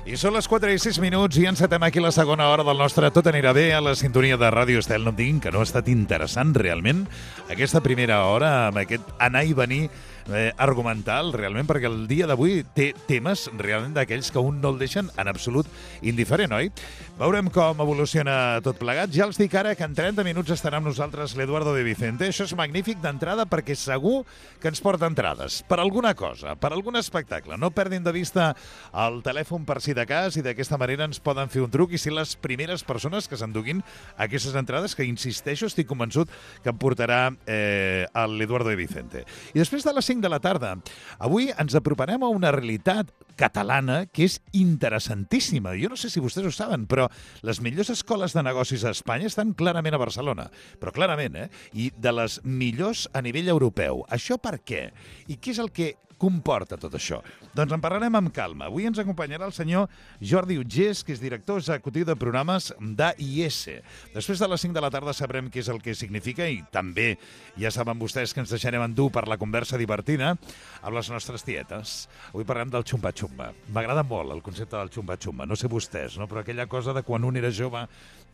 I són les 4 i 6 minuts i encetem aquí la segona hora del nostre Tot anirà bé a la sintonia de Ràdio Estel. No em diguin que no ha estat interessant realment aquesta primera hora amb aquest anar i venir argumental, realment, perquè el dia d'avui té temes realment d'aquells que un no el deixen en absolut indiferent, oi? Veurem com evoluciona tot plegat. Ja els dic ara que en 30 minuts estarà amb nosaltres l'Eduardo de Vicente. Això és magnífic d'entrada perquè segur que ens porta entrades per alguna cosa, per algun espectacle. No perdin de vista el telèfon per si de cas i d'aquesta manera ens poden fer un truc i ser les primeres persones que s'enduguin aquestes entrades que, insisteixo, estic convençut que em portarà l'Eduardo de Vicente. I després de les 5 de la tarda, avui ens aproparem a una realitat catalana que és interessantíssima. Jo no sé si vostès ho saben, però les millors escoles de negocis a Espanya estan clarament a Barcelona. Però clarament, I de les millors a nivell europeu. Això per què? I què és el que comporta tot això? Doncs en parlarem amb calma. Avui ens acompanyarà el senyor Jordi Utgés, que és director executiu de programes d'AIS. Després de les 5 de la tarda sabrem què és el que significa i també ja saben vostès que ens deixarem endur per la conversa divertida amb les nostres tietes. Avui parlem del xumba-xumba. M'agrada molt el concepte del xumba-xumba. No sé vostès, no? Però aquella cosa de quan un era jove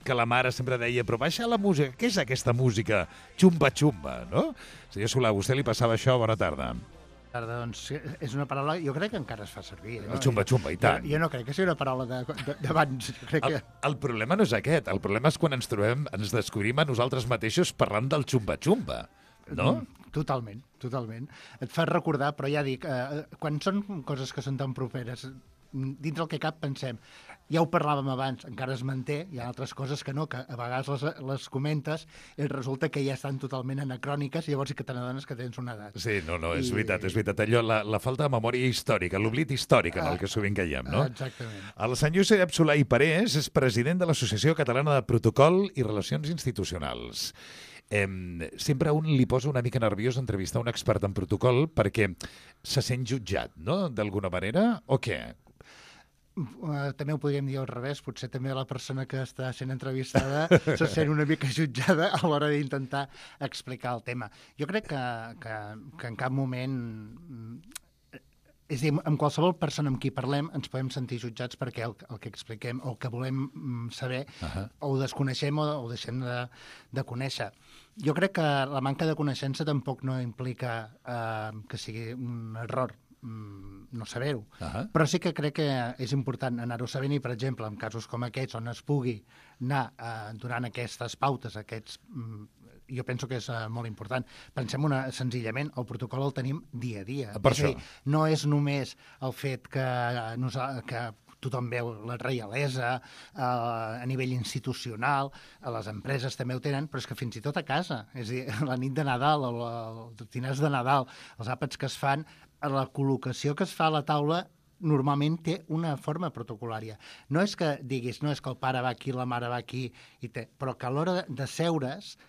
que la mare sempre deia però baixa la música. Què és aquesta música? Xumba-xumba, no? Senyor Solà, a vostè li passava això? Bona tarda. Doncs és una paraula, jo crec que encara es fa servir. El xumba-xumba, i tant. Jo no crec que sigui una paraula d'abans. El problema no és aquest. El problema és quan ens descobrim a nosaltres mateixos parlant del xumba-xumba, no? Totalment. Et fa recordar, però ja dic, quan són coses que són tan properes, dins el que cap pensem, ja ho parlàvem abans, encara es manté, hi ha altres coses que no, que a vegades les comentes i resulta que ja estan totalment anacròniques i llavors sí que te n'adones que tens una edat. Sí, no, és veritat. Allò, la falta de memòria històrica, l'oblit històric en el que sovint caiem, no? Exactament. El senyor Josep Solà i Parés és president de l'Associació Catalana de Protocol i Relacions Institucionals. Sempre a un li posa una mica nerviós entrevistar un expert en protocol perquè se sent jutjat, no?, d'alguna manera, o què? També ho podríem dir al revés, potser també la persona que està sent entrevistada se sent una mica jutjada a l'hora d'intentar explicar el tema. Jo crec que en cap moment... És a dir, amb qualsevol persona amb qui parlem ens podem sentir jutjats perquè el que expliquem o el que volem saber o ho desconeixem o ho deixem de conèixer. Jo crec que la manca de coneixença tampoc no implica que sigui un error no saber-ho. Però sí que crec que és important anar-ho sabent i, per exemple, en casos com aquests on es pugui anar donant aquestes pautes, jo penso que és molt important. Pensem senzillament, el protocol el tenim dia a dia. Per això. No és només el fet que tothom veu la reialesa a nivell institucional, a les empreses també ho tenen, però és que fins i tot a casa. És a dir, la nit de Nadal, els dinars de Nadal, els àpats que es fan, la col·locació que es fa a la taula normalment té una forma protocolària. No és que diguis, no és que el pare va aquí, la mare va aquí, però que a l'hora de seure's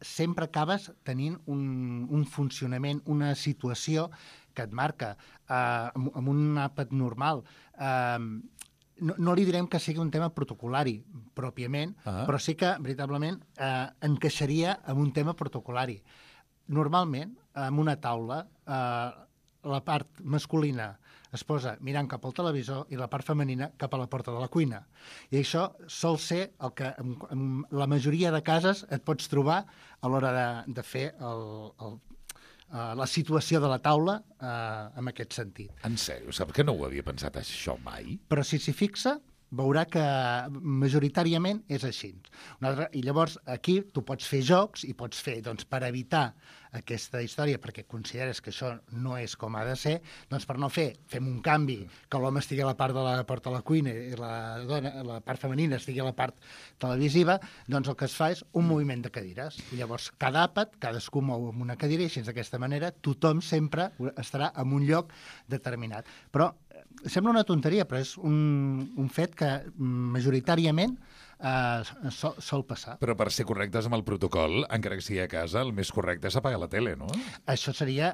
sempre acabes tenint un funcionament, una situació que et marca amb un àpat normal. No li direm que sigui un tema protocolari pròpiament, però sí que, veritablement, encaixaria en un tema protocolari. Normalment, en una taula, la part masculina es posa mirant cap al televisor i la part femenina cap a la porta de la cuina. I això sol ser el que en la majoria de cases et pots trobar a l'hora de fer la situació de la taula en aquest sentit. En sèrio? Sap que no ho havia pensat això mai? Però si s'hi fixa, veurà que majoritàriament és així. I llavors aquí tu pots fer jocs i pots fer, doncs, per evitar aquesta història, perquè consideres que això no és com ha de ser, doncs per no fem un canvi, que l'home estigui a la part de la porta de la cuina i la part femenina estigui a la part televisiva, doncs el que es fa és un moviment de cadires. I llavors cada àpat, cadascú mou amb una cadira i així d'aquesta manera tothom sempre estarà en un lloc determinat. Però sembla una tonteria, però és un fet que majoritàriament sol passar. Però per ser correctes amb el protocol, encara que sigui a casa, el més correcte és apagar la tele, no? Això seria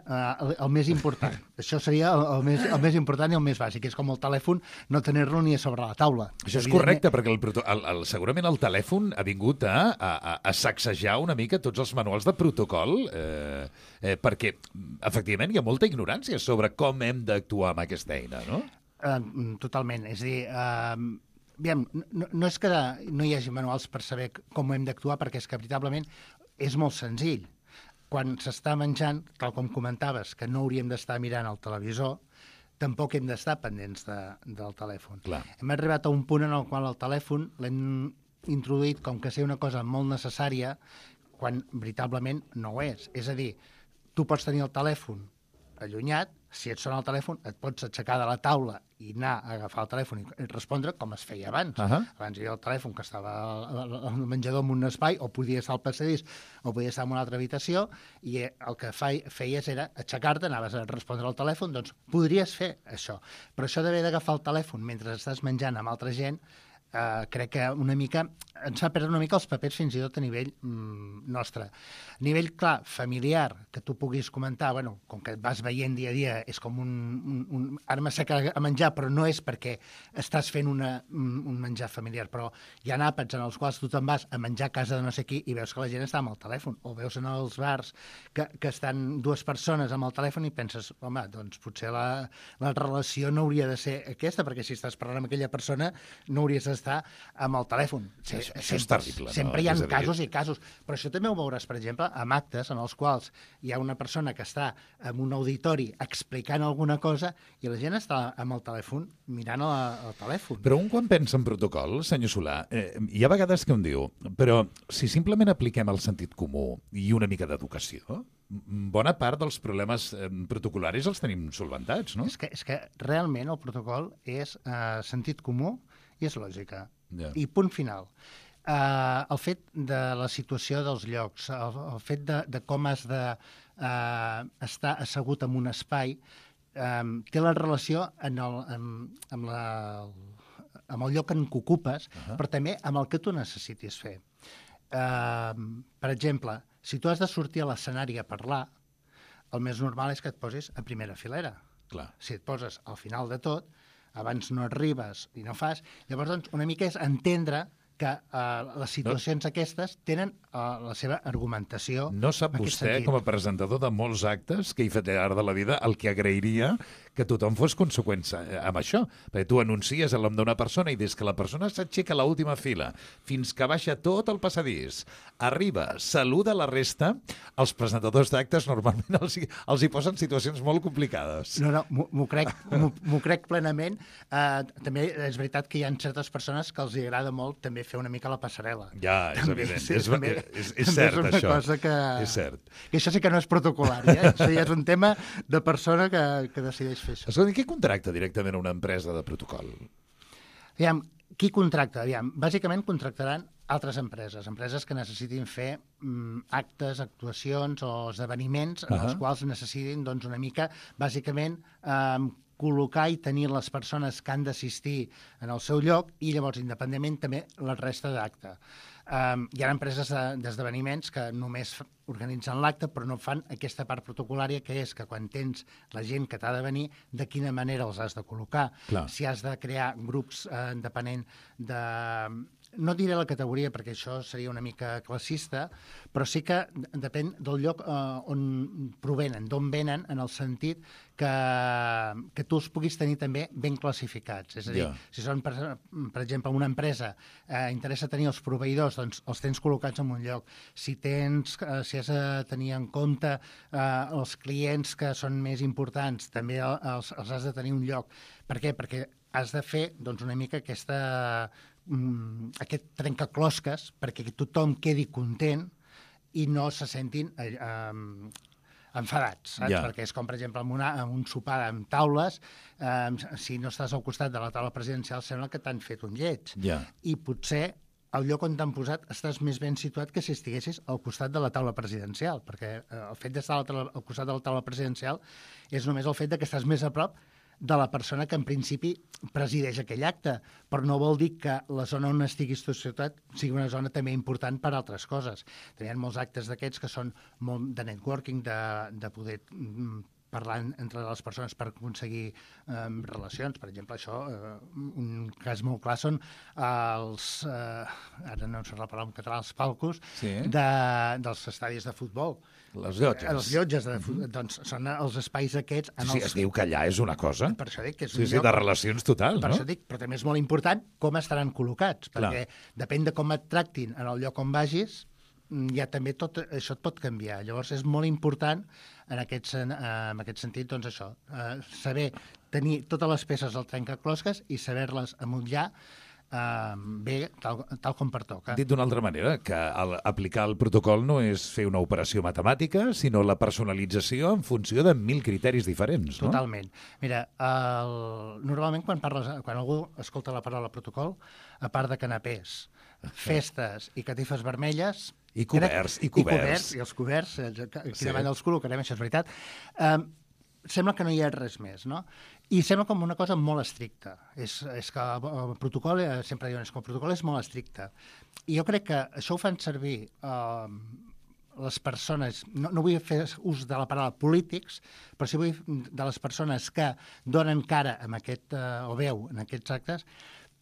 el més important. Això seria el més important i el més bàsic. És com el telèfon, no tenir-lo ni a sobre la taula. Això és correcte, perquè segurament el telèfon ha vingut a sacsejar una mica tots els manuals de protocol, perquè, efectivament, hi ha molta ignorància sobre com hem d'actuar amb aquesta eina, no? Totalment. És a dir, aviam, no és que no hi hagi manuals per saber com hem d'actuar, perquè és que veritablement és molt senzill. Quan s'està menjant, tal com comentaves, que no hauríem d'estar mirant el televisor, tampoc hem d'estar pendents del telèfon. Clar. Hem arribat a un punt en el qual el telèfon l'hem introduït com que ser una cosa molt necessària quan veritablement no ho és. És a dir, tu pots tenir el telèfon allunyat, si et sona el telèfon et pots aixecar de la taula i anar a agafar el telèfon i respondre com es feia abans. Abans hi havia el telèfon que estava al menjador en un espai, o podia estar al passadís, o podia estar en una altra habitació, i el que feies era aixecar-te, anaves a respondre al telèfon, doncs podries fer això. Però això d'haver d'agafar el telèfon mentre estàs menjant amb altra gent, crec que una mica ens fa perdre una mica els papers fins i tot a nivell nostre. A nivell, clar, familiar, que tu puguis comentar, bueno, com que et vas veient dia a dia, és com ara m'asseca a menjar, però no és perquè estàs fent un menjar familiar, però hi ha àpats en els quals tu te'n vas a menjar a casa de no sé qui i veus que la gent està amb el telèfon, o veus en els bars que estan dues persones amb el telèfon i penses, home, doncs potser la relació no hauria de ser aquesta, perquè si estàs parlant amb aquella persona no hauries d'estar amb el telèfon. Això és terrible. Sempre hi ha casos i casos, però això també ho veuràs, per exemple, amb actes en els quals hi ha una persona que està en un auditori explicant alguna cosa i la gent està amb el telèfon mirant el telèfon. Però un quan pensa en protocol, senyor Solà, hi ha vegades que un diu, però si simplement apliquem el sentit comú i una mica d'educació, bona part dels problemes protocolaris els tenim solventats, no? És que realment el protocol és sentit comú i és lògica. Yeah. I punt final. El fet de la situació dels llocs, el fet de com has d'estar assegut en un espai, té la relació amb el lloc en què ocupes, però també amb el que tu necessitis fer. Per exemple, si tu has de sortir a l'escenari a parlar, el més normal és que et posis a primera filera. Clar. Si et poses al final de tot, abans no arribes i no fas, llavors doncs, una mica és entendre que les situacions aquestes tenen la seva argumentació. No sap vostè, com a presentador de molts actes que hi fa llarg de la vida, el que agrairia que tothom fos conseqüent amb això. Perquè tu anuncies el nom d'una persona i des que la persona s'aixeca a l'última fila fins que baixa tot el passadís, arriba, saluda la resta, els presentadors d'actes normalment els hi posen situacions molt complicades. No, m'ho crec plenament. També és veritat que hi ha certes persones que els agrada molt també fer una mica la passarel·la. Ja, és també, evident. Sí, És cert, és això. Cosa que... És cert. Que això sí que no és protocolari, Això ja és un tema de persona que decideix fer això. Escolta, qui contracta directament una empresa de protocol? Aviam, qui contracta? Aviam, bàsicament contractaran altres empreses que necessitin fer actes, actuacions o esdeveniments en els quals necessitin doncs, una mica, bàsicament, col·locar i tenir les persones que han d'assistir en el seu lloc i llavors, independentment, també la resta d'acte. Hi ha empreses d'esdeveniments que només organitzen l'acte però no fan aquesta part protocolària que és que quan tens la gent que t'ha de venir, de quina manera els has de col·locar. Clar. Si has de crear grups depenent de... No diré la categoria perquè això seria una mica classista, però sí que depèn del lloc on provenen, d'on venen, en el sentit que tu els puguis tenir també ben classificats. És a dir, si són, per exemple, una empresa, interessa tenir els proveïdors, doncs els tens col·locats en un lloc. Si has de tenir en compte els clients que són més importants, també els has de tenir un lloc. Per què? Perquè has de fer doncs, una mica aquest trencaclosques perquè tothom quedi content i no se sentin enfadats, saps? Yeah. Perquè és com, per exemple, en un sopar amb taules, si no estàs al costat de la taula presidencial sembla que t'han fet un lleig. Yeah. I potser al lloc on t'han posat estàs més ben situat que si estiguessis al costat de la taula presidencial, perquè el fet d'estar al costat de la taula presidencial és només el fet de que estàs més a prop de la persona que en principi presideix aquell acte, però no vol dir que la zona on estiguis tu ciutat sigui una zona també important per altres coses. Hi ha molts actes d'aquests que són molt de networking, de poder parlar entre les persones per aconseguir relacions. Per exemple, això, un cas molt clar són els, ara no em surt la paraula en català, els palcos dels estadis de futbol. Les llotges. Els llotges de futbol, doncs són els espais aquests... Es diu que allà és una cosa. Per això dic que és un lloc... de relacions total, no? Per això dic, però també és molt important com estaran col·locats, perquè depèn de com et tractin en el lloc on vagis, ja també tot això et pot canviar. Llavors és molt important en aquest sentit, doncs això, saber tenir totes les peces al trencaclosques i saber-les amotllar bé, tal com pertoca. Dit d'una altra manera, que aplicar el protocol no és fer una operació matemàtica, sinó la personalització en funció de 1000 criteris diferents, no? Totalment. Mira, normalment quan algú escolta la paraula protocol, a part de canapés, festes i catifes vermelles... I coberts. I els coberts, aquí davant els col·locarem, això és veritat. Sembla que no hi ha res més, no? I sembla com una cosa molt estricta. És que el protocol, sempre diuen que el protocol és molt estricte. I jo crec que això ho fan servir les persones, no vull fer ús de la paraula polítics, però sí vull de les persones que donen cara amb aquest, o veu en aquests actes,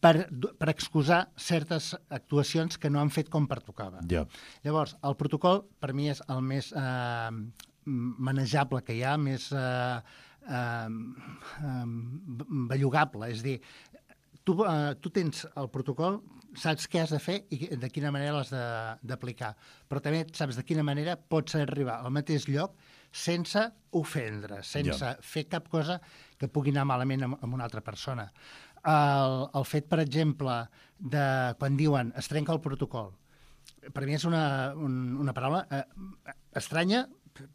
per excusar certes actuacions que no han fet com pertocava. Llavors, el protocol, per mi, és el més manejable que hi ha, més bellugable. És a dir, tu tens el protocol, saps què has de fer i de quina manera l'has d'aplicar, però també saps de quina manera pots arribar al mateix lloc sense ofendre, sense fer cap cosa que pugui anar malament amb una altra persona. El fet, per exemple, de quan diuen es trenca el protocol, per mi és una paraula estranya,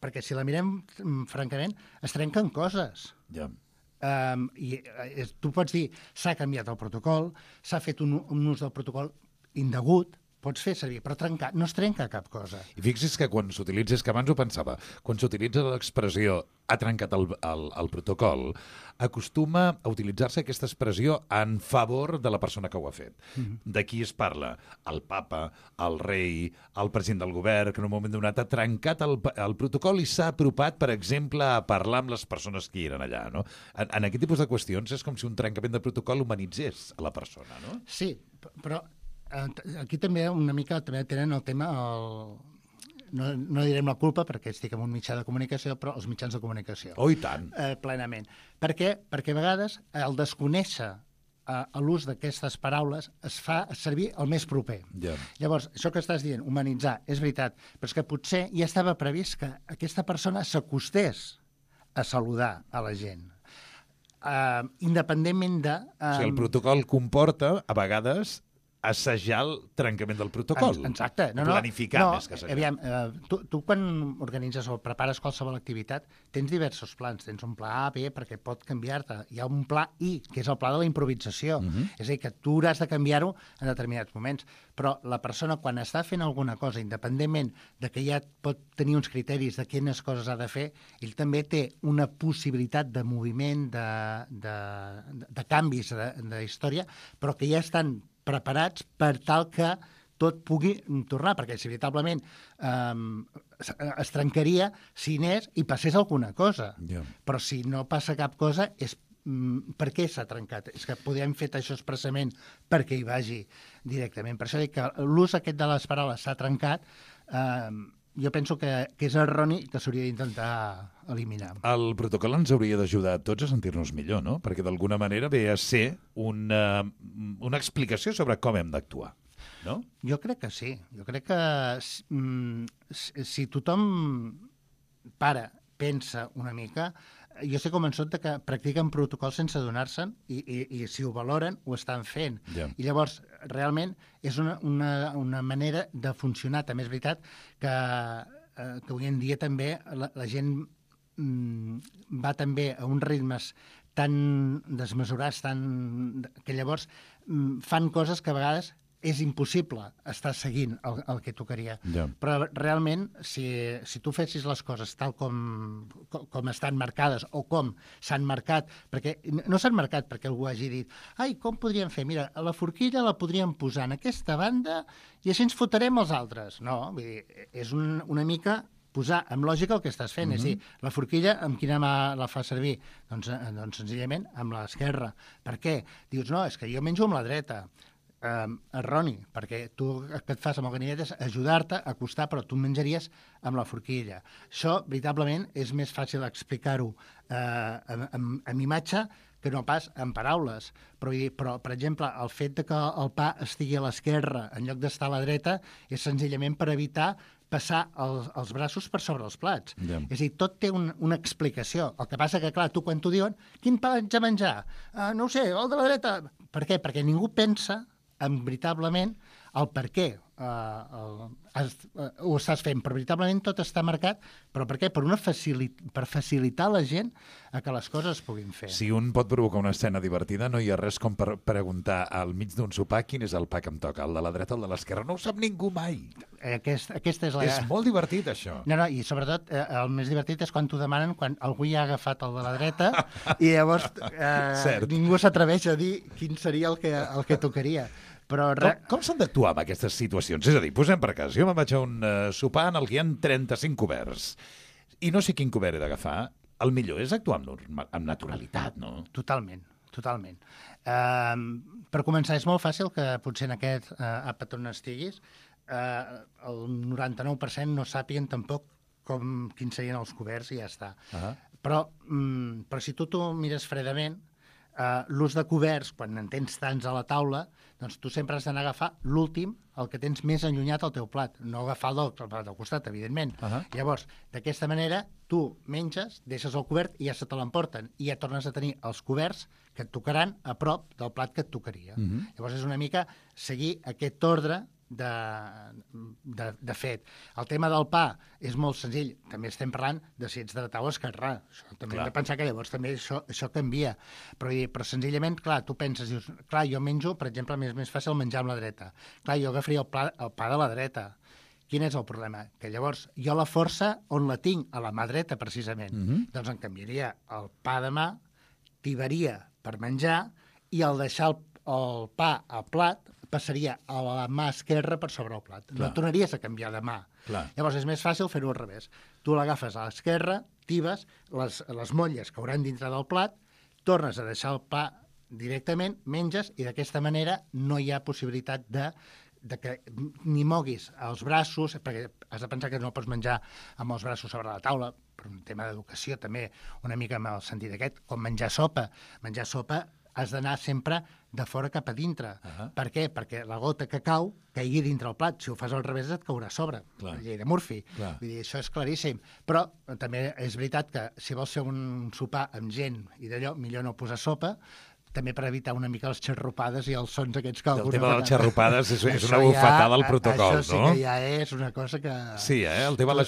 perquè si la mirem francament, es trenquen coses. I tu pots dir s'ha canviat el protocol, s'ha fet un ús del protocol indegut, pots fer servir, però trencar, no es trenca cap cosa. I fixi's que quan s'utilitza, és que abans ho pensava, quan s'utilitza l'expressió ha trencat el protocol, acostuma a utilitzar-se aquesta expressió en favor de la persona que ho ha fet. De qui es parla? El papa, el rei, el president del govern, que en un moment donat ha trencat el protocol i s'ha apropat, per exemple, a parlar amb les persones que hi eren allà, no? En aquest tipus de qüestions és com si un trencament de protocol humanitzés a la persona, no? Sí, però aquí també una mica tenen el tema, no direm la culpa perquè estic en un mitjà de comunicació, però els mitjans de comunicació. Oh, i tant. Plenament. Per què? Perquè a vegades el desconèixer l'ús d'aquestes paraules es fa servir el més proper. Llavors, això que estàs dient, humanitzar, és veritat, però és que potser ja estava previst que aquesta persona s'acostés a saludar a la gent. Independentment de... O sigui, el protocol comporta, a vegades, assajar el trencament del protocol. Exacte. Planificar més que assajar. Aviam, tu quan organitzes o prepares qualsevol activitat tens diversos plans. Tens un pla A, B, perquè pot canviar-te. Hi ha un pla I, que és el pla de la improvisació. És a dir, que tu hauràs de canviar-ho en determinats moments. Però la persona, quan està fent alguna cosa, independentment de que ja pot tenir uns criteris de quines coses ha de fer, ell també té una possibilitat de moviment, de canvis de història, però que ja estan preparats per tal que tot pugui tornar, perquè si veritablement es trencaria si anés i passés alguna cosa. Però si no passa cap cosa, és per què s'ha trencat? És que podem fer això expressament perquè hi vagi directament. Per això dic que l'ús aquest de les paraules s'ha trencat, jo penso que és erroni i que s'hauria d'intentar eliminar. El protocol ens hauria d'ajudar a tots a sentir-nos millor, no? Perquè d'alguna manera ve a ser una explicació sobre com hem d'actuar, no? Jo crec que sí. Jo crec que si tothom pensa una mica, jo estic convençut que practiquen protocols sense adonar-se'n i si ho valoren, ho estan fent. I llavors, realment, és una manera de funcionar. També és veritat que avui en dia també la gent va també a uns ritmes tan desmesurats, que llavors fan coses que a vegades és impossible estar seguint el que tocaria. Però realment, si tu fessis les coses tal com estan marcades o com s'han marcat, perquè no s'han marcat perquè algú hagi dit ai, com podríem fer? Mira, la forquilla la podríem posar en aquesta banda i així ens fotrem els altres. No, vull dir, és una mica posar amb lògica el que estàs fent. És a dir, la forquilla, amb quina mà la fa servir? Doncs senzillament amb l'esquerra. Per què? Dius, no, és que jo menjo amb la dreta. Erroni, perquè tu el que et fas amb el ganivet és ajudar-te a acostar, però tu menjaries amb la forquilla. Això, veritablement, és més fàcil explicar-ho amb imatge que no pas en paraules. Però, per exemple, el fet de que el pa estigui a l'esquerra en lloc d'estar a la dreta és senzillament per evitar passar els braços per sobre els plats. Yeah. És a dir, tot té una explicació. El que passa que, clar, tu quan t'ho diuen, quin pa haig de menjar? No ho sé, el de la dreta. Per què? Perquè ningú pensa veritablement el per què ho estàs fent, però veritablement tot està marcat, però per què? Per facilitar la gent a que les coses es puguin fer. Si un pot provocar una escena divertida, no hi ha res com per preguntar al mig d'un sopar quin és el pa que em toca, el de la dreta o el de l'esquerra. No ho sap ningú mai. Aquesta és la... És molt divertit, això. No, i sobretot el més divertit és quan t'ho demanen quan algú ja ha agafat el de la dreta i llavors ningú s'atreveix a dir quin seria el que tocaria. Però com s'han d'actuar en aquestes situacions? És a dir, posem per cas, jo me'n vaig a un sopar en el que hi ha 35 coberts i no sé quin cobert he d'agafar. El millor és actuar amb naturalitat, no? Totalment. Per començar, és molt fàcil que potser en aquest àpat on estiguis el 99% no sàpiguen tampoc quins serien els coberts i ja està. Però si tu mires fredament, l'ús de coberts, quan en tens tants a la taula, doncs tu sempre has d'anar a agafar l'últim, el que tens més allunyat al teu plat, no agafar el plat al costat, evidentment. Llavors, d'aquesta manera, tu menges, deixes el cobert i ja se te l'emporten, i ja tornes a tenir els coberts que et tocaran a prop del plat que et tocaria. Llavors és una mica seguir aquest ordre de fet. El tema del pa és molt senzill. També estem parlant de si ets dretà o esquerrà. També hem de pensar que llavors també això canvia. Però senzillament, clar, tu penses, dius, clar, jo menjo, per exemple, és més fàcil menjar amb la dreta. Clar, jo agafaria el pa de la dreta. Quin és el problema? Que llavors jo la força on la tinc? A la mà dreta, precisament. Doncs em canviaria el pa de mà, tibaria per menjar i al deixar el pa al plat passaria a la mà esquerra per sobre el plat. No tornaries a canviar de mà. Llavors és més fàcil fer-ho al revés. Tu l'agafes a l'esquerra, tibes les motlles que hauran dintre del plat, tornes a deixar el pa directament, menges i d'aquesta manera no hi ha possibilitat de que ni moguis els braços, perquè has de pensar que no pots menjar amb els braços sobre la taula, per un tema d'educació també, una mica amb el sentit aquest, com menjar sopa. Menjar sopa has d'anar sempre de fora cap a dintre. Per què? Perquè la gota que cau caigui dintre el plat. Si ho fas al revés et caurà a sobre. La llei de Murphy. Vull dir, això és claríssim. Però també és veritat que si vols fer un sopar amb gent i d'allò, millor no posar sopa, també per evitar una mica les xarrupades i els sons aquests que alguna vegada... El tema de les xarrupades és una bufetada al protocol, no? Això sí que ja és una cosa que... Sí, el tema de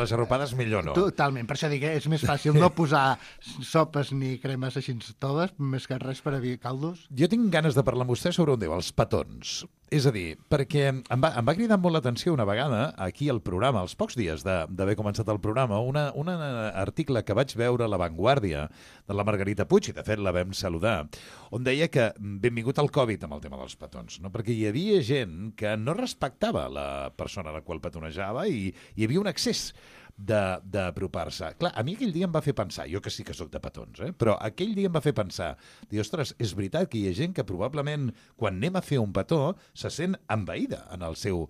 les xarrupades millor no. Totalment, per això dic que és més fàcil no posar sopes ni cremes així toves, més que res per evitar caldos. Jo tinc ganes de parlar amb vostè sobre un déu, els petons. És a dir, perquè em va cridar molt l'atenció una vegada aquí al programa, als pocs dies d'haver començat el programa, un article que vaig veure a La Vanguardia de la Margarita Puig, i de fet la vam saludar, on deia que benvingut al Covid amb el tema dels petons, no? Perquè hi havia gent que no respectava la persona a la qual petonejava i hi havia un excés d'apropar-se. Clar, a mi aquell dia em va fer pensar, jo que sí que sóc de petons, però aquell dia em va fer pensar, dir, ostres, és veritat que hi ha gent que probablement quan anem a fer un petó se sent envaïda en el seu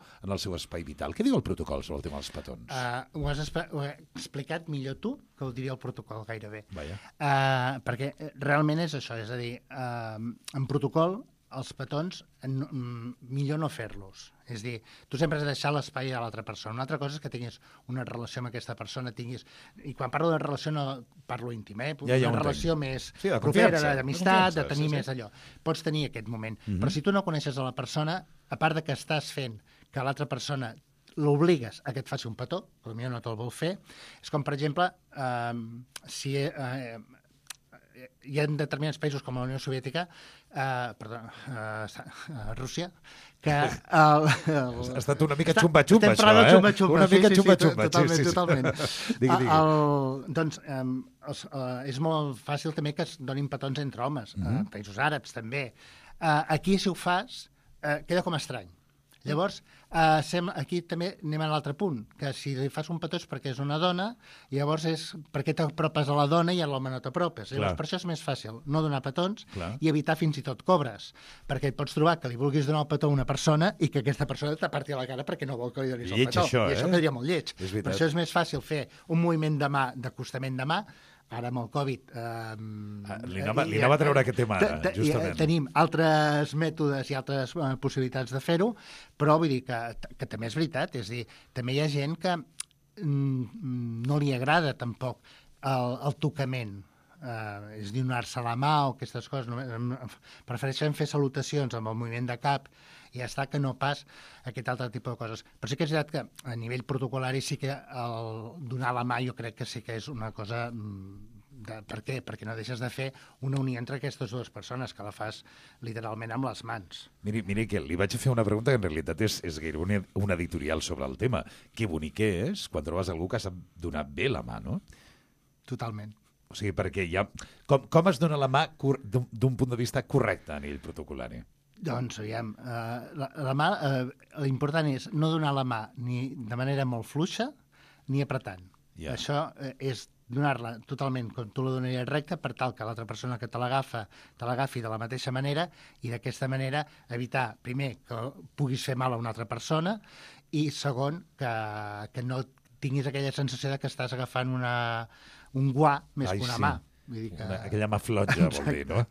espai vital. Què diu el protocol sobre el tema dels petons? Ho has explicat millor tu que ho diria el protocol gairebé. Perquè realment és això, és a dir, en protocol els petons millor no fer-los. És a dir, tu sempre has de deixar l'espai a l'altra persona. Una altra cosa és que tinguis una relació amb aquesta persona, i quan parlo de relació no parlo íntim, una relació més propera, d'amistat, de tenir més allò. Pots tenir aquest moment. Però si tu no coneixes a la persona, a part de que estàs fent que l'altra persona l'obligues a que et faci un petó, potser no te'l vol fer, és com, per exemple, si hi ha determinats països com la Unió Soviètica, Rússia, que... Ha estat una mica xumba-xumba, això, Estem parlant de xumba-xumba. Una mica xumba-xumba. Totalment. Digui. Doncs és molt fàcil també que es donin petons entre homes, països àrabs també. Aquí, si ho fas, queda com estrany. Llavors, aquí també anem a l'altre punt, que si li fas un petó és perquè és una dona, i llavors és perquè t'apropes a la dona i a l'home no t'apropes. Llavors, per això és més fàcil no donar petons i evitar fins i tot cobres, perquè et pots trobar que li vulguis donar el petó a una persona i que aquesta persona t'aparti la cara perquè no vol que li donis el petó. Això, I això quedaria molt lleig. Per això és més fàcil fer un moviment de mà, d'acostament de mà. Ara amb el Covid... Li anava a treure aquest tema ara, justament. Tenim altres mètodes i altres possibilitats de fer-ho, però vull dir que també és veritat. És a dir, també hi ha gent que no li agrada tampoc el tocament. És donar-se la mà o aquestes coses. Prefereixen fer salutacions amb el moviment de cap i ja està, que no pas aquest altre tipus de coses. Però sí que és veritat que a nivell protocolari sí que donar la mà jo crec que sí que és una cosa... Per què? Perquè no deixes de fer una unió entre aquestes dues persones, que la fas literalment amb les mans. Miri que li vaig fer una pregunta que en realitat és gairebé un editorial sobre el tema. Que bonic és quan trobes algú que sap donar bé la mà, no? Totalment. O sigui, perquè ja... Com es dona la mà d'un punt de vista correcte a nivell protocolari? Doncs, aviam, la mà, l'important és no donar la mà ni de manera molt fluixa ni apretant. Això és donar-la totalment com tu la donaries recta per tal que l'altra persona que te l'agafi de la mateixa manera i d'aquesta manera evitar, primer, que puguis fer mal a una altra persona i, segon, que no tinguis aquella sensació de que estàs agafant un guà més que una mà. Vull dir que... Aquella mà flotja, vol dir, no?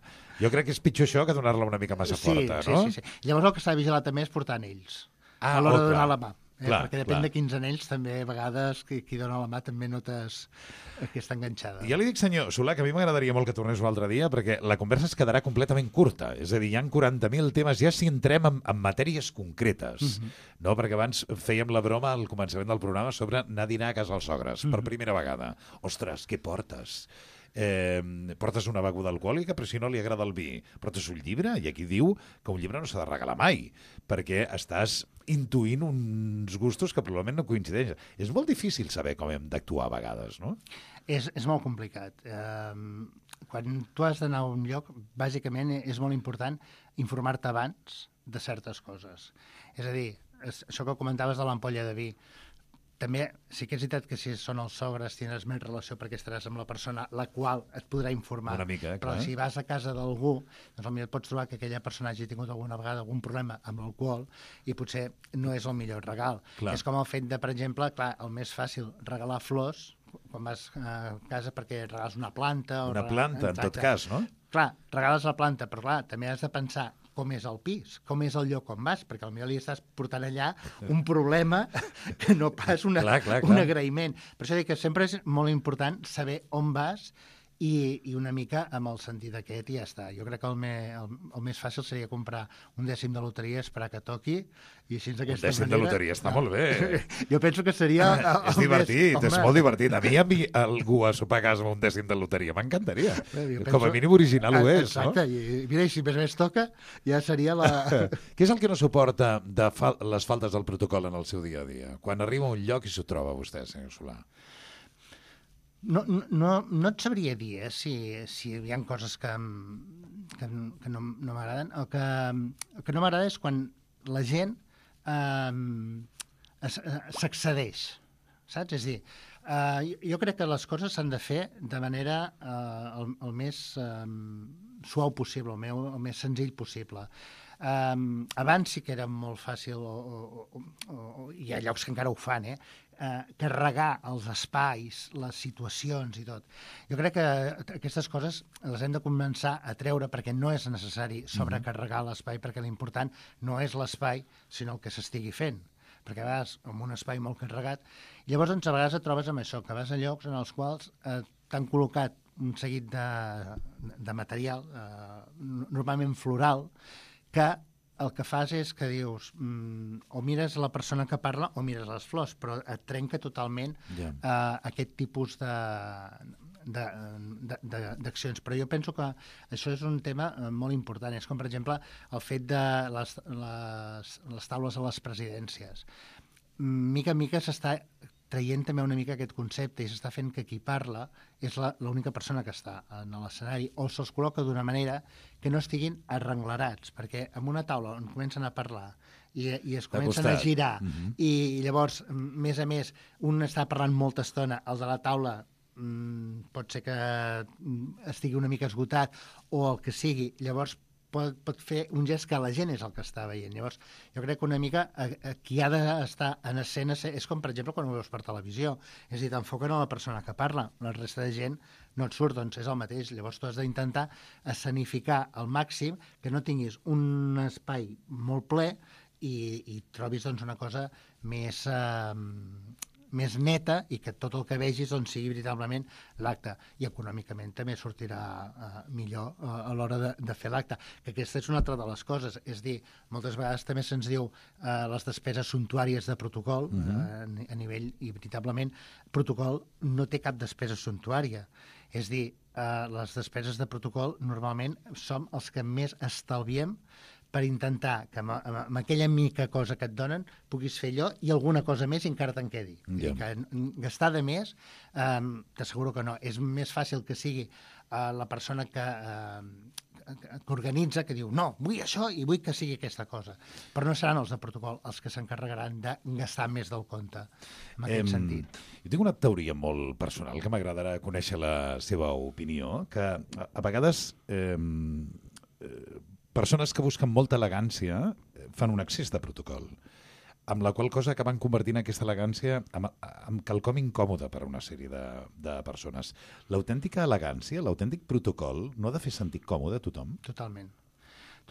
Jo crec que és pitjor això que donar-la una mica massa forta, no? Sí. Llavors el que s'ha de vigilar també és portar anells a l'hora de donar la mà. Perquè depèn de quins anells, també a vegades qui dona la mà també notes que està enganxada. Ja li dic, senyor Solà, que a mi m'agradaria molt que tornés un altre dia, perquè la conversa es quedarà completament curta. És a dir, hi ha 40.000 temes, ja si entrem en matèries concretes. No? Perquè abans fèiem la broma al començament del programa sobre anar a dinar a casa dels sogres, per primera vegada. Ostres, què portes? Portes una beguda alcohòlica, però si no li agrada el vi. Portes un llibre, i aquí diu que un llibre no s'ha de regalar mai, perquè estàs intuint uns gustos que probablement no coincideixen. És molt difícil saber com hem d'actuar a vegades, no? És molt complicat. Quan tu has d'anar a un lloc, bàsicament és molt important informar-te abans de certes coses. És a dir, això que comentaves de l'ampolla de vi, també sí que és veritat que si són els sogres tindràs més relació perquè estaràs amb la persona la qual et podrà informar. Una mica, però si vas a casa d'algú, doncs potser et pots trobar que aquella persona hagi tingut alguna vegada algun problema amb l'alcohol i potser no és el millor regal. Clar. És com el fet de, per exemple, clar, el més fàcil, regalar flors quan vas a casa perquè regales una planta. Una planta, en tot cas, no? Clar, regales la planta, però clar, també has de pensar com és el pis, com és el lloc on vas, perquè potser li estàs portant allà un problema que no pas un agraïment. Per això dic que sempre és molt important saber on vas i una mica amb el sentit aquest i ja està. Jo crec que el més fàcil seria comprar un dècim de loteria, esperar que toqui i així d'aquesta manera... Un dècim de loteria està molt bé. Jo penso que seria... És divertit, és molt divertit. A mi algú a sopar a casa amb un dècim de loteria m'encantaria. Com a mínim original ho és, no? Exacte, i mira, si més toca, ja seria la... Què és el que no suporta de les faltes del protocol en el seu dia a dia? Quan arriba a un lloc i s'ho troba vostè, senyor Solà. No et sabria dir si hi ha coses que no m'agraden. El que no m'agrada és quan la gent s'excedeix, saps? És a dir, jo crec que les coses s'han de fer de manera el més suau possible, el més senzill possible. Abans sí que era molt fàcil, hi ha llocs que encara ho fan, carregar els espais, les situacions i tot. Jo crec que aquestes coses les hem de començar a treure perquè no és necessari sobrecarregar l'espai, perquè l'important no és l'espai, sinó el que s'estigui fent. Perquè a vegades, amb un espai molt carregat, llavors a vegades et trobes amb això, que vas a llocs en els quals t'han col·locat un seguit de material, normalment floral, que el que fas és que dius o mires la persona que parla o mires les flors, però et trenca totalment aquest tipus d'accions. Però jo penso que això és un tema molt important. És com, per exemple, el fet de les taules a les presidències. Mica en mica s'està traient també una mica aquest concepte i s'està fent que qui parla és l'única persona que està en l'escenari o se'ls col·loca d'una manera que no estiguin arrenglerats, perquè en una taula on comencen a parlar i es comencen a girar. I llavors, més a més, un està parlant molta estona, el de la taula pot ser que estigui una mica esgotat o el que sigui, llavors pot fer un gest que la gent és el que està veient. Llavors, jo crec que una mica qui ha d'estar en escena és com, per exemple, quan ho veus per televisió. És a dir, t'enfoquen a la persona que parla, la resta de gent no et surt, doncs és el mateix. Llavors tu has d'intentar escenificar al màxim que no tinguis un espai molt ple i trobis doncs, una cosa més neta i que tot el que vegis doncs, sigui veritablement l'acte. I econòmicament també sortirà millor a l'hora de fer l'acte. Que aquesta és una altra de les coses. És dir, moltes vegades també se'ns diu les despeses suntuàries de protocol a nivell, i veritablement, protocol no té cap despesa suntuària. És dir, les despeses de protocol normalment som els que més estalviem per intentar que amb aquella mica cosa que et donen puguis fer allò i alguna cosa més i encara te'n quedi. Yeah. Que gastar de més, t'asseguro que no. És més fàcil que sigui la persona que organitza, que diu no, vull això i vull que sigui aquesta cosa. Però no seran els de protocol els que s'encarregaran de gastar més del compte, en aquest sentit. Jo tinc una teoria molt personal que m'agradarà conèixer la seva opinió, que a vegades persones que busquen molta elegància fan un excés de protocol, amb la qual cosa acaben convertint aquesta elegància en quelcom incòmode per a una sèrie de persones. L'autèntica elegància, l'autèntic protocol, no ha de fer sentir còmode a tothom? Totalment.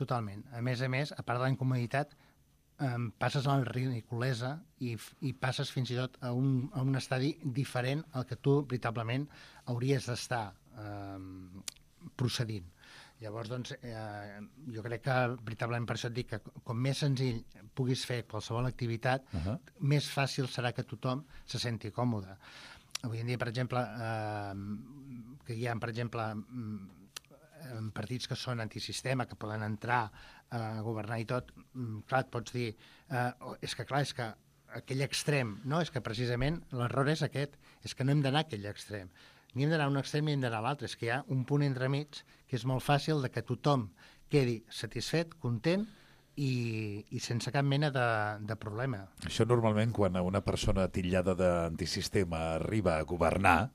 Totalment. A més, a part de la incomoditat, passes a la ridiculesa i passes fins i tot a un estadi diferent al que tu veritablement hauries d'estar procedint. Llavors, doncs, jo crec que veritablement per això et dic que com més senzill puguis fer qualsevol activitat, més fàcil serà que tothom se senti còmode. Avui en dia, per exemple, que hi ha, per exemple, partits que són antisistema, que poden entrar a governar i tot, clar, et pots dir, és que aquell extrem, no? És que precisament l'error és aquest, és que no hem d'anar a aquell extrem. Ni hem d'anar a un extrem ni hem d'anar a l'altre. És que hi ha un punt entremig que és molt fàcil de que tothom quedi satisfet, content i sense cap mena de problema. Això normalment quan una persona titllada d'antisistema arriba a governar,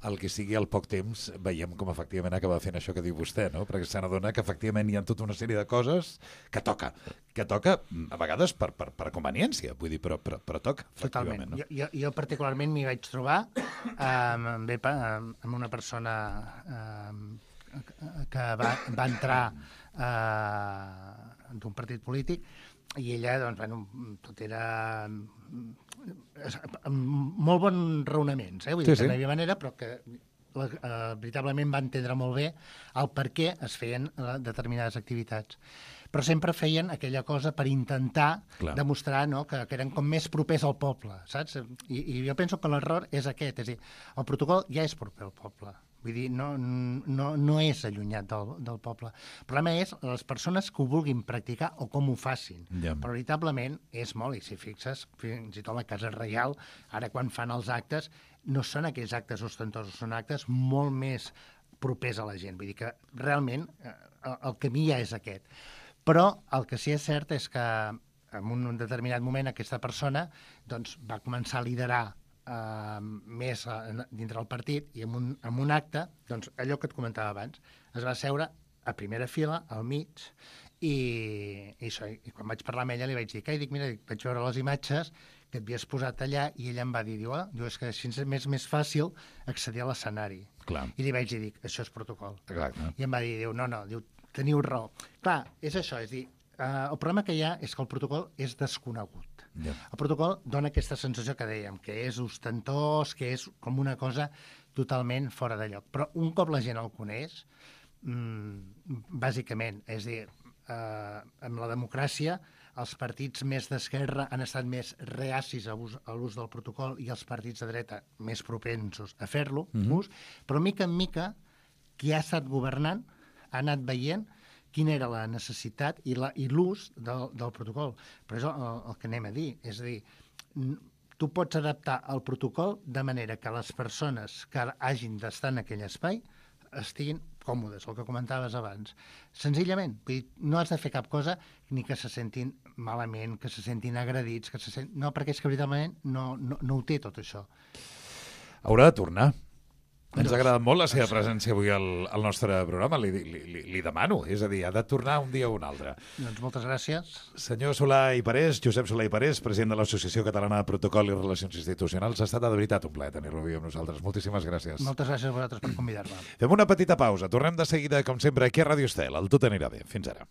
el que sigui al poc temps veiem com efectivament acaba fent això que diu vostè, no? Perquè se n'adona que efectivament hi ha tota una sèrie de coses que toca a vegades per conveniència, vull dir, però toca. Totalment. No? Jo particularment m'hi vaig trobar amb una persona que va entrar d'un partit polític i ella, doncs, bueno, tot era amb molt bons raonaments, vull dir que no hi havia manera, però que veritablement va entendre molt bé el per què es feien determinades activitats. Però sempre feien aquella cosa per intentar demostrar, no, que eren com més propers al poble, saps? I jo penso que l'error és aquest, és a dir, el protocol ja és proper al poble. Vull dir, no és allunyat del poble. El problema és les persones que ho vulguin practicar o com ho facin. Però veritablement és molt, i si fixes, fins i tot la Casa Reial, ara quan fan els actes, no són aquells actes ostentosos, són actes molt més propers a la gent. Vull dir que realment el camí ja és aquest. Però el que sí que és cert és que en un determinat moment aquesta persona doncs, va començar a liderar més dintre del partit i en un acte, doncs allò que et comentava abans, es va seure a primera fila, al mig, i quan vaig parlar amb ella li vaig dir, mira, vaig veure les imatges que et havies posat allà i ella em va dir, és que així és més fàcil accedir a l'escenari. I li vaig dir, això és protocol. I em va dir, no, teniu raó. Clar, és això, és dir, el problema que hi ha és que el protocol és desconegut. El protocol dona aquesta sensació que dèiem, que és ostentós, que és com una cosa totalment fora de lloc. Però un cop la gent el coneix, bàsicament, és a dir, amb la democràcia, els partits més d'esquerra han estat més reacis a l'ús del protocol i els partits de dreta més propensos a fer-lo, però mica en mica, qui ha estat governant ha anat veient quina era la necessitat i l'ús del protocol. Però és el que anem a dir. És a dir, tu pots adaptar el protocol de manera que les persones que hagin d'estar en aquell espai estiguin còmodes, el que comentaves abans. Senzillament, vull dir, no has de fer cap cosa ni que se sentin malament, que se sentin agredits, no, perquè és que veritablement no ho té tot això. Haurà de tornar. Ens ha agradat molt la seva presència avui al nostre programa, li demano, és a dir, ha de tornar un dia o un altre. Doncs moltes gràcies. Senyor Solà i Parés, Josep Solà i Parés, president de l'Associació Catalana de Protocol i Relacions Institucionals, ha estat de veritat un plaer tenir-lo avui amb nosaltres. Moltíssimes gràcies. Moltes gràcies a vosaltres per convidar-me. Fem una petita pausa, tornem de seguida, com sempre, aquí a Ràdio Estel. El Tot anirà bé. Fins ara.